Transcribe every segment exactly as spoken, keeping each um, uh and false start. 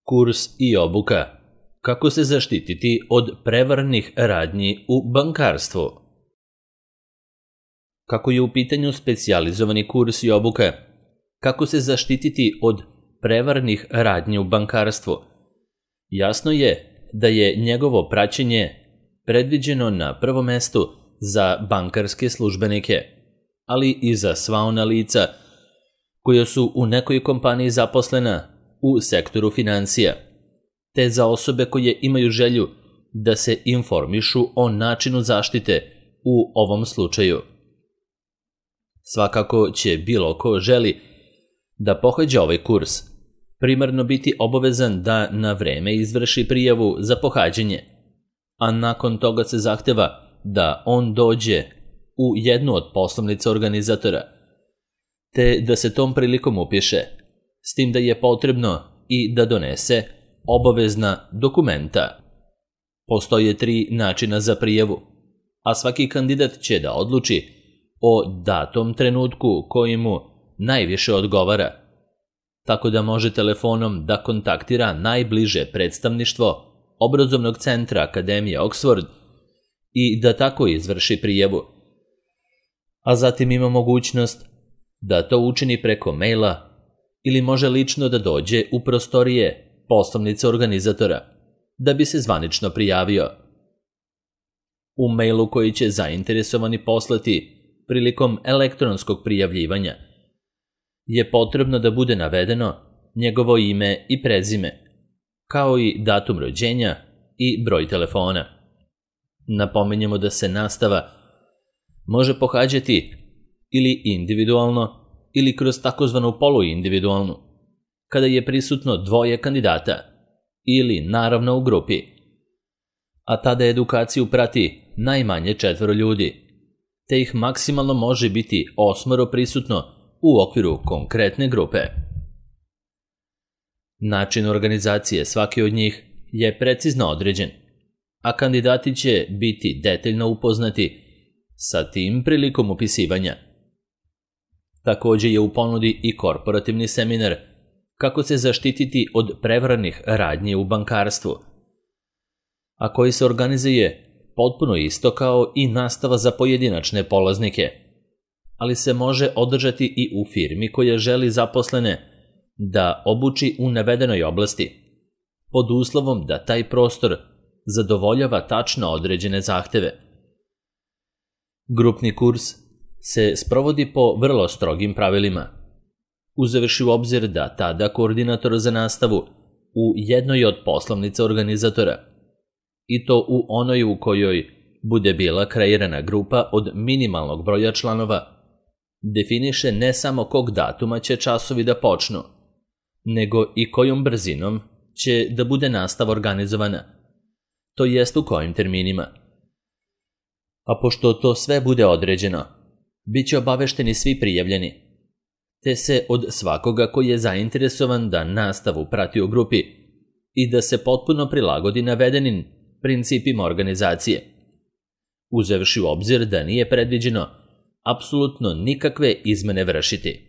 Kurs i obuka. Kako se zaštititi od prevarnih radnji u bankarstvu? Kako je u pitanju specijalizovani kurs i obuka? Kako se zaštititi od prevarnih radnji u bankarstvu? Jasno je da je njegovo praćenje predviđeno na prvom mestu za bankarske službenike, ali i za sva ona lica koja su u nekoj kompaniji zaposlena u sektoru financija, te za osobe koje imaju želju da se informišu o načinu zaštite u ovom slučaju. Svakako će bilo ko želi da pohađa ovaj kurs primarno biti obavezan da na vreme izvrši prijavu za pohađanje, a nakon toga se zahteva da on dođe u jednu od poslovnica organizatora, te da se tom prilikom upiše, s tim da je potrebno i da donese obavezna dokumenta. Postoje tri načina za prijavu, a svaki kandidat će da odluči o datom trenutku koji mu najviše odgovara, tako da može telefonom da kontaktira najbliže predstavništvo obrazovnog centra Akademije Oxford i da tako izvrši prijavu. A zatim ima mogućnost da to učini preko maila ili može lično da dođe u prostorije poslovnice organizatora da bi se zvanično prijavio. U mailu koji će zainteresovani poslati prilikom elektronskog prijavljivanja je potrebno da bude navedeno njegovo ime i prezime, kao i datum rođenja i broj telefona. Napominjemo da se nastava može pohađati ili individualno ili kroz takozvanu poluindividualnu, kada je prisutno dvoje kandidata ili naravno u grupi, a tada edukaciju prati najmanje četvoro ljudi, te ih maksimalno može biti osmoro prisutno u okviru konkretne grupe. Način organizacije svake od njih je precizno određen, a kandidati će biti detaljno upoznati sa tim prilikom upisivanja. Također je u ponudi i korporativni seminar kako se zaštititi od prevarnih radnji u bankarstvu, a koji se organizuje potpuno isto kao i nastava za pojedinačne polaznike, ali se može održati i u firmi koja želi zaposlene da obuči u navedenoj oblasti, pod uslovom da taj prostor zadovoljava tačno određene zahteve. Grupni kurs se sprovodi po vrlo strogim pravilima, uzevši u obzir da tada koordinator za nastavu u jednoj od poslovnica organizatora, i to u onoj u kojoj bude bila kreirana grupa od minimalnog broja članova, definiše ne samo kog datuma će časovi da počnu, nego i kojom brzinom će da bude nastava organizovana, to jest u kojim terminima. A pošto to sve bude određeno, bit će obavešteni svi prijavljeni, te se od svakoga koji je zainteresovan da nastavu prati u grupi i da se potpuno prilagodi navedenim principima organizacije, uzevši u obzir da nije predviđeno apsolutno nikakve izmene vršiti.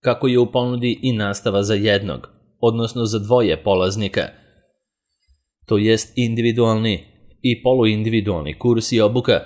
Kako je u ponudi i nastava za jednog, odnosno za dvoje polaznika, to jest individualni i poluindividualni kurs i obuka,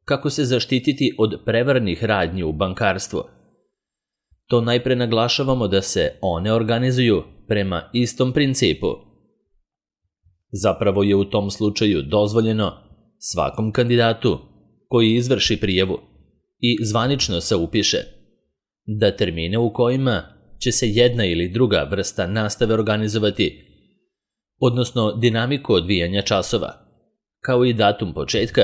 kako se zaštititi od prevarnih radnji u bankarstvu. To najpre naglašavamo da se one organizuju prema istom principu. Zapravo je u tom slučaju dozvoljeno svakom kandidatu koji izvrši prijavu i zvanično se upiše da termine u kojima će se jedna ili druga vrsta nastave organizovati, odnosno dinamiku odvijanja časova, kao i datum početka,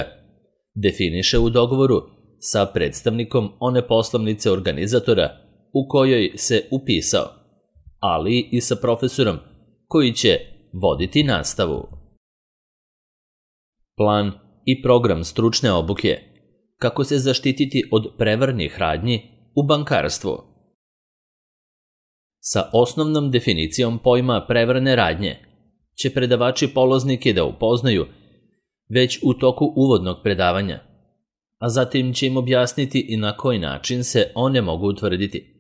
definiše u dogovoru sa predstavnikom one poslovnice organizatora u kojoj se upisao, ali i sa profesorom koji će voditi nastavu. Plan i program stručne obuke. Kako se zaštititi od prevarnih radnji u bankarstvu? Sa osnovnom definicijom pojma prevarne radnje će predavači polaznike da upoznaju već u toku uvodnog predavanja, a zatim će im objasniti i na koji način se one mogu utvrditi.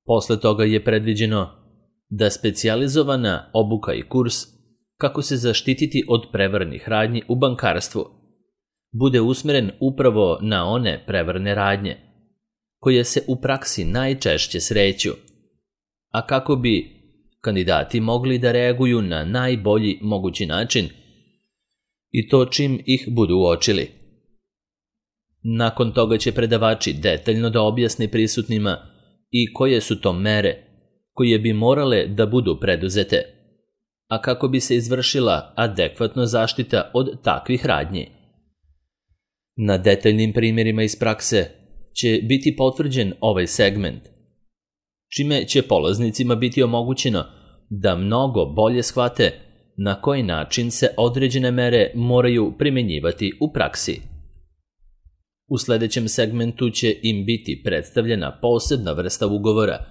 Posle toga je predviđeno da specijalizovana obuka i kurs kako se zaštititi od prevarnih radnji u bankarstvu bude usmeren upravo na one prevarne radnje, koje se u praksi najčešće sreću, a kako bi kandidati mogli da reaguju na najbolji mogući način i to čim ih budu uočili. Nakon toga će predavači detaljno da objasne prisutnima i koje su to mere koje bi morale da budu preduzete, a kako bi se izvršila adekvatno zaštita od takvih radnji. Na detaljnim primjerima iz prakse će biti potvrđen ovaj segment, čime će polaznicima biti omogućeno da mnogo bolje shvate na koji način se određene mere moraju primenjivati u praksi. U sledećem segmentu će im biti predstavljena posebna vrsta ugovora,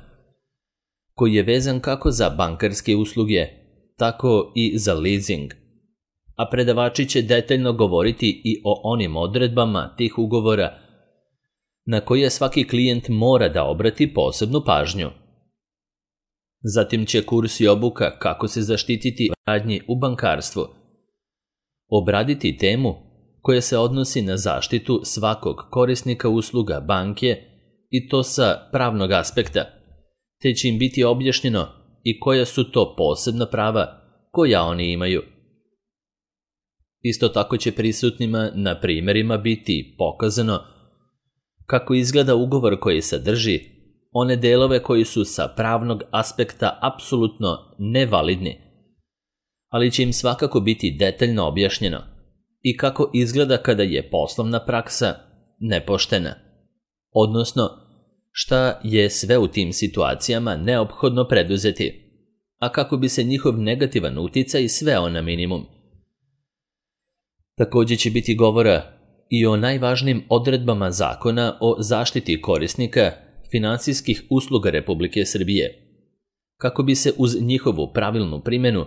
koji je vezan kako za bankarske usluge, tako i za leasing, a predavači će detaljno govoriti i o onim odredbama tih ugovora na koje svaki klijent mora da obrati posebnu pažnju. Zatim će kurs i obuka kako se zaštititi od radnji u bankarstvu obraditi temu koja se odnosi na zaštitu svakog korisnika usluga banke i to sa pravnog aspekta, te će im biti objašnjeno i koja su to posebna prava koja oni imaju. Isto tako će prisutnima na primjerima biti pokazano kako izgleda ugovor koji sadrži one delove koji su sa pravnog aspekta apsolutno nevalidni, ali će im svakako biti detaljno objašnjeno i kako izgleda kada je poslovna praksa nepoštena, odnosno šta je sve u tim situacijama neophodno preduzeti, a kako bi se njihov negativan uticaj sveo na minimum. Također će biti govora i o najvažnijim odredbama zakona o zaštiti korisnika finansijskih usluga Republike Srbije, kako bi se uz njihovu pravilnu primjenu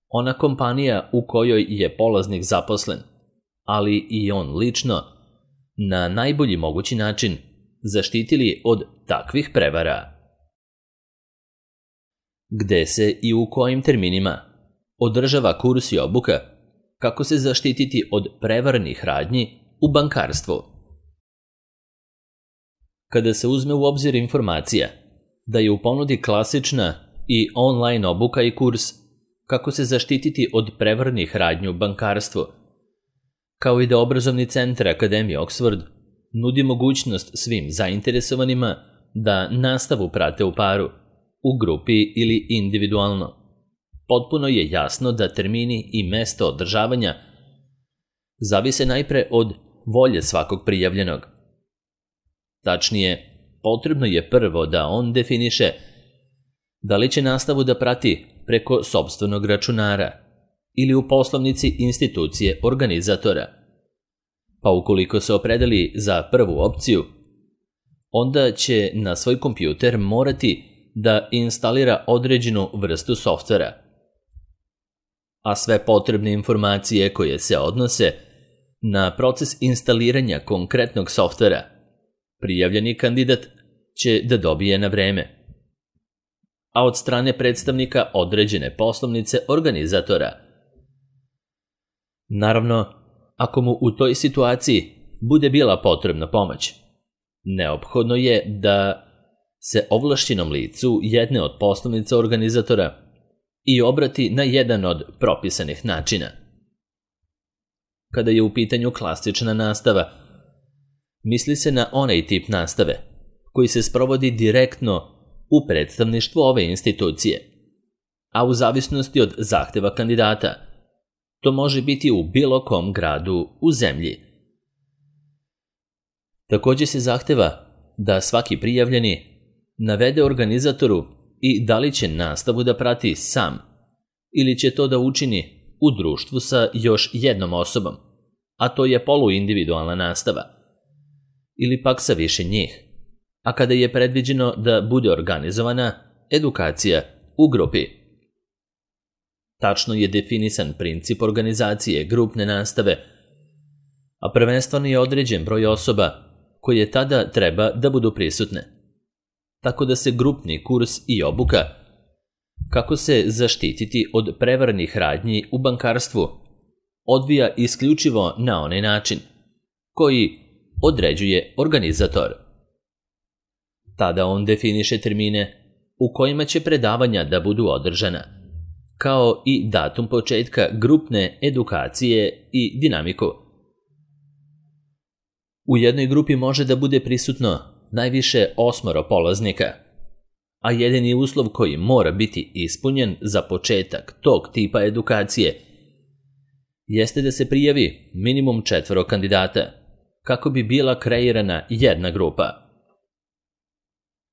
ona kompanija u kojoj je polaznik zaposlen, ali i on lično, na najbolji mogući način zaštitili od takvih prevara. Gde se i u kojim terminima održava kurs i obuka kako se zaštititi od prevarnih radnji u bankarstvu. Kada se uzme u obzir informacija da je u ponudi klasična i online obuka i kurs kako se zaštititi od prevarnih radnji u bankarstvu, kao i da obrazovni centar Akademije Oxford nudi mogućnost svim zainteresovanima da nastavu prate u paru, u grupi ili individualno, potpuno je jasno da termini i mesto održavanja zavise najpre od volje svakog prijavljenog. Tačnije, potrebno je prvo da on definiše da li će nastavu da prati preko sopstvenog računara ili u poslovnici institucije organizatora. Pa ukoliko se opredeli za prvu opciju, onda će na svoj kompjuter morati da instalira određenu vrstu softvera. A sve potrebne informacije koje se odnose na proces instaliranja konkretnog softvera, prijavljeni kandidat će da dobije na vreme, a od strane predstavnika određene poslovnice organizatora. Naravno, ako mu u toj situaciji bude bila potrebna pomoć, neophodno je da se ovlašćenom licu jedne od poslovnica organizatora i obrati na jedan od propisanih načina. Kada je u pitanju klasična nastava, misli se na onaj tip nastave koji se sprovodi direktno u predstavništvu ove institucije, a u zavisnosti od zahteva kandidata, to može biti u bilo kom gradu u zemlji. Također se zahteva da svaki prijavljeni navede organizatoru i da li će nastavu da prati sam ili će to da učini u društvu sa još jednom osobom, a to je poluindividualna nastava, ili pak sa više njih, a kada je predviđeno da bude organizovana edukacija u grupi. Tačno je definisan princip organizacije grupne nastave, a prvenstveno je određen broj osoba koje tada treba da budu prisutne, tako da se grupni kurs i obuka kako se zaštititi od prevarnih radnji u bankarstvu odvija isključivo na onaj način koji određuje organizator. Tada on definiše termine u kojima će predavanja da budu održana, kao i datum početka grupne edukacije i dinamiku. U jednoj grupi može da bude prisutno najviše osmoro polaznika, a jedini uslov koji mora biti ispunjen za početak tog tipa edukacije jeste da se prijavi minimum četvoro kandidata kako bi bila kreirana jedna grupa.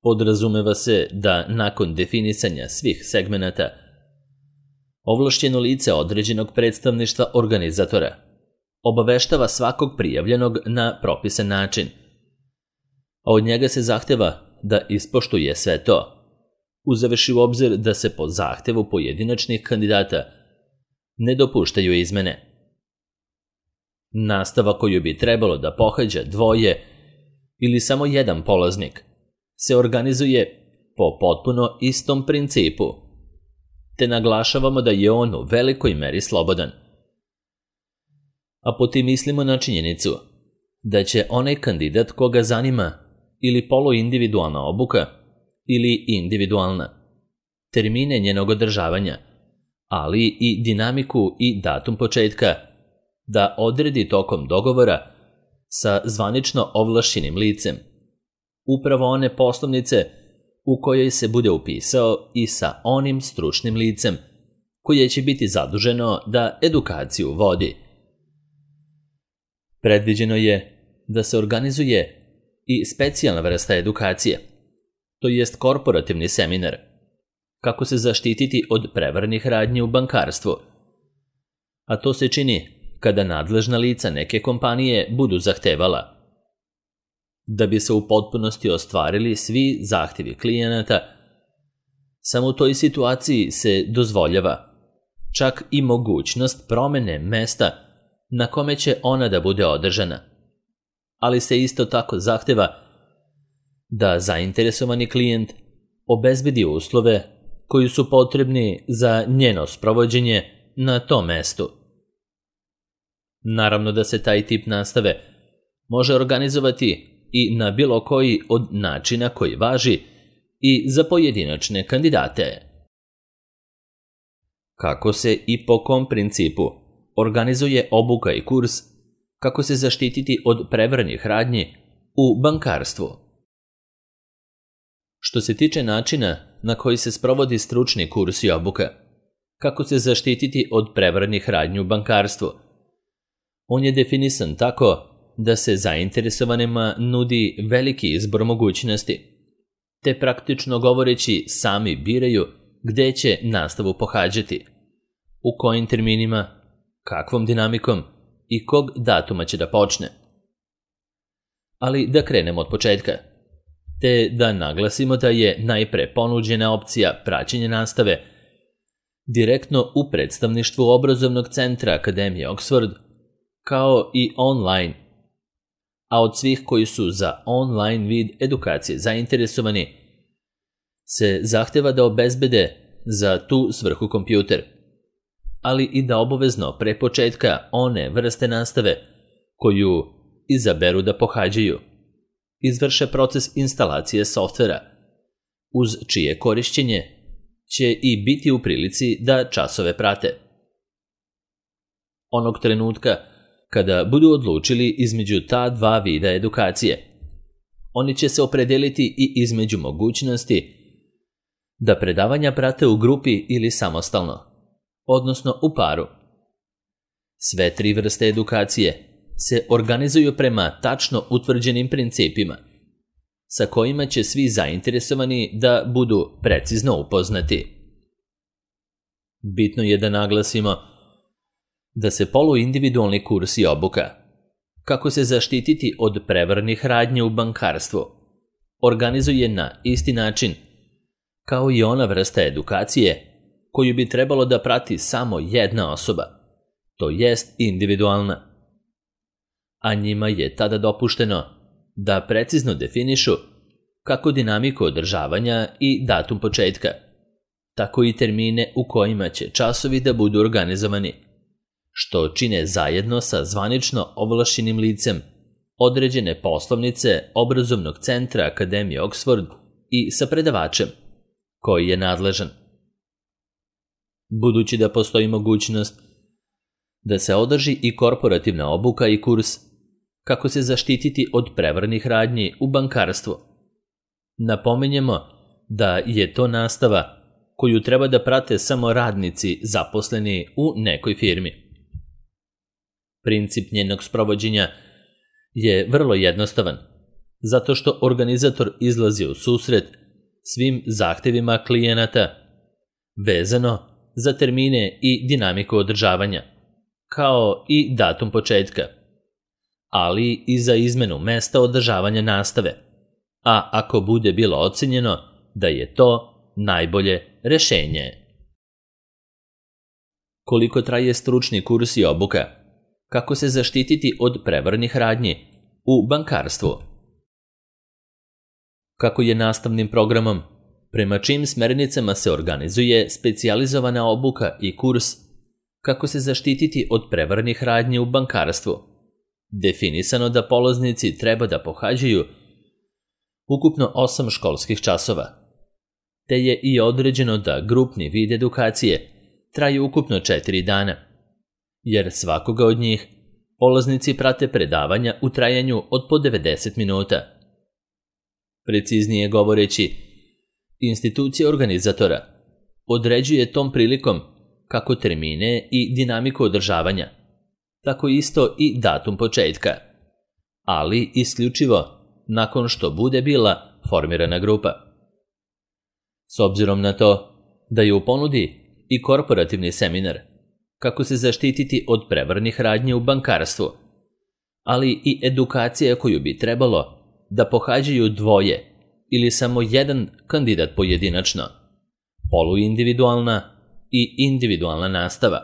Podrazumeva se da nakon definisanja svih segmenata ovlašćeno lice određenog predstavništva organizatora obaveštava svakog prijavljenog na propisan način, a od njega se zahteva da ispoštuje sve to, uzevši u obzir da se po zahtevu pojedinačnih kandidata ne dopuštaju izmene. Nastava koju bi trebalo da pohađa dvoje ili samo jedan polaznik se organizuje po potpuno istom principu, te naglašavamo da je on u velikoj meri slobodan. A potim mislimo na činjenicu da će onaj kandidat koga zanima ili poluindividualna obuka ili individualna, termine njenog održavanja, ali i dinamiku i datum početka, da odredi tokom dogovora sa zvanično ovlašćenim licem, upravo one poslovnice u kojoj se bude upisao i sa onim stručnim licem koje će biti zaduženo da edukaciju vodi. Predviđeno je da se organizuje i specijalna vrsta edukacije, to jest korporativni seminar, kako se zaštititi od prevarnih radnji u bankarstvu. A to se čini kada nadležna lica neke kompanije budu zahtevala. Da bi se u potpunosti ostvarili svi zahtjevi klijenata, samo u toj situaciji se dozvoljava čak i mogućnost promene mesta na kome će ona da bude održana, ali se isto tako zahteva da zainteresovani klijent obezbedi uslove koji su potrebni za njeno sprovođenje na tom mestu. Naravno da se taj tip nastave može organizovati i na bilo koji od načina koji važi i za pojedinačne kandidate. Kako se i po kom principu organizuje obuka i kurs, kako se zaštititi od prevarnih radnji u bankarstvu. Što se tiče načina na koji se sprovodi stručni kurs i obuka, kako se zaštititi od prevarnih radnji u bankarstvu, on je definisan tako da se zainteresovanima nudi veliki izbor mogućnosti, te praktično govoreći sami biraju gde će nastavu pohađati, u kojim terminima, kakvom dinamikom i kog datuma će da počne. Ali da krenemo od početka, te da naglasimo da je najpre ponuđena opcija praćenja nastave direktno u predstavništvu obrazovnog centra Akademije Oxford, kao i online, a od svih koji su za online vid edukacije zainteresovani se zahteva da obezbede za tu svrhu kompjuter, ali i da obavezno pre početka one vrste nastave koju izaberu da pohađaju izvrše proces instalacije softvera, uz čije korišćenje će i biti u prilici da časove prate. Onog trenutka kada budu odlučili između ta dva vida edukacije, oni će se opredeliti i između mogućnosti da predavanja prate u grupi ili samostalno, odnosno u paru. Sve tri vrste edukacije se organizuju prema tačno utvrđenim principima, sa kojima će svi zainteresovani da budu precizno upoznati. Bitno je da naglasimo da se poluindividualni kurs i obuka, kako se zaštititi od prevarnih radnji u bankarstvu, organizuje na isti način kao i ona vrsta edukacije koju bi trebalo da prati samo jedna osoba, to jest individualna. A njima je tada dopušteno da precizno definišu kako dinamiku održavanja i datum početka, tako i termine u kojima će časovi da budu organizovani, što čine zajedno sa zvanično ovlašćenim licem određene poslovnice obrazovnog centra Akademije Oxford i sa predavačem, koji je nadležan. Budući da postoji mogućnost da se održi i korporativna obuka i kurs kako se zaštititi od prevarnih radnji u bankarstvu, napominjemo da je to nastava koju treba da prate samo radnici zaposleni u nekoj firmi. Princip njenog sprovođenja je vrlo jednostavan, zato što organizator izlazi u susret svim zahtevima klijenata vezano za termine i dinamiku održavanja, kao i datum početka, ali i za izmenu mesta održavanja nastave, a ako bude bilo ocenjeno da je to najbolje rešenje. Koliko traje stručni kurs i obuka? Kako se zaštititi od prevarnih radnji u bankarstvu? Kako je nastavnim programom, prema čijim smernicama se organizuje specijalizovana obuka i kurs kako se zaštititi od prevarnih radnji u bankarstvu, definisano da polaznici treba da pohađaju ukupno osam školskih časova, te je i određeno da grupni vid edukacije traje ukupno četiri dana, jer svakoga od njih polaznici prate predavanja u trajanju od po devedeset minuta. Preciznije govoreći, institucija organizatora određuje tom prilikom kako termine i dinamiku održavanja, tako isto i datum početka, ali isključivo nakon što bude bila formirana grupa. S obzirom na to da je u ponudi i korporativni seminar kako se zaštititi od prevarnih radnji u bankarstvu, ali i edukacija koju bi trebalo da pohađaju dvoje ili samo jedan kandidat pojedinačno, poluindividualna i individualna nastava,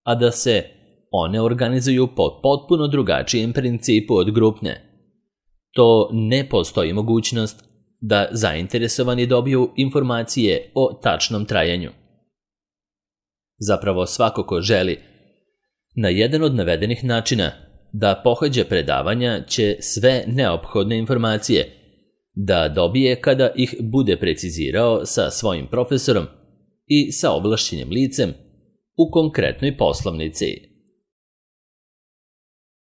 a da se one organizuju po potpuno drugačijem principu od grupne. To ne postoji mogućnost da zainteresovani dobiju informacije o tačnom trajanju. Zapravo svako ko želi na jedan od navedenih načina da pohađa predavanja će sve neophodne informacije da dobije kada ih bude precizirao sa svojim profesorom i sa ovlašćenim licem u konkretnoj poslovnici.